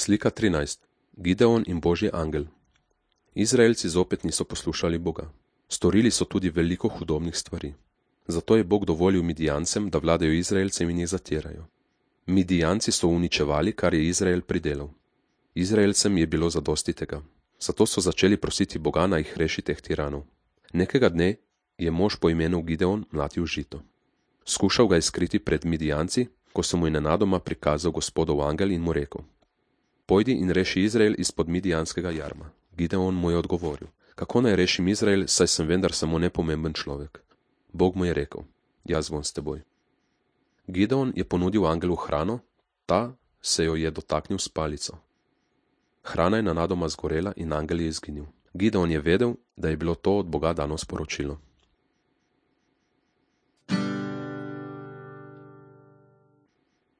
Slika 13. Gideon in Božji angel. Izraelci zopet niso poslušali Boga. Storili so tudi veliko hudobnih stvari. Zato je Bog dovolil Midijancem, da vladajo Izraelcem in jih zatirajo. Midijanci so uničevali, kar je Izrael pridelal. Izraelcem je bilo zadosti tega. Zato so začeli prositi Boga, naj jih reši teh tiranov. Nekega dne je mož po imenu Gideon mlatil žito. Skušal ga je skriti pred Midijanci, ko se mu je nenadoma prikazal Gospodov angel in mu rekel: Pojdi in reši Izrael izpod midijanskega jarma. Gideon mu je odgovoril: Kako naj rešim Izrael, saj sem vendar samo nepomemben človek. Bog mu je rekel: Jaz bom s teboj. Gideon je ponudil angelu hrano, ta se jo je dotaknil s palico. Hrana je nenadoma zgorela in angel je izginil. Gideon je vedel, da je bilo to od Boga dano sporočilo.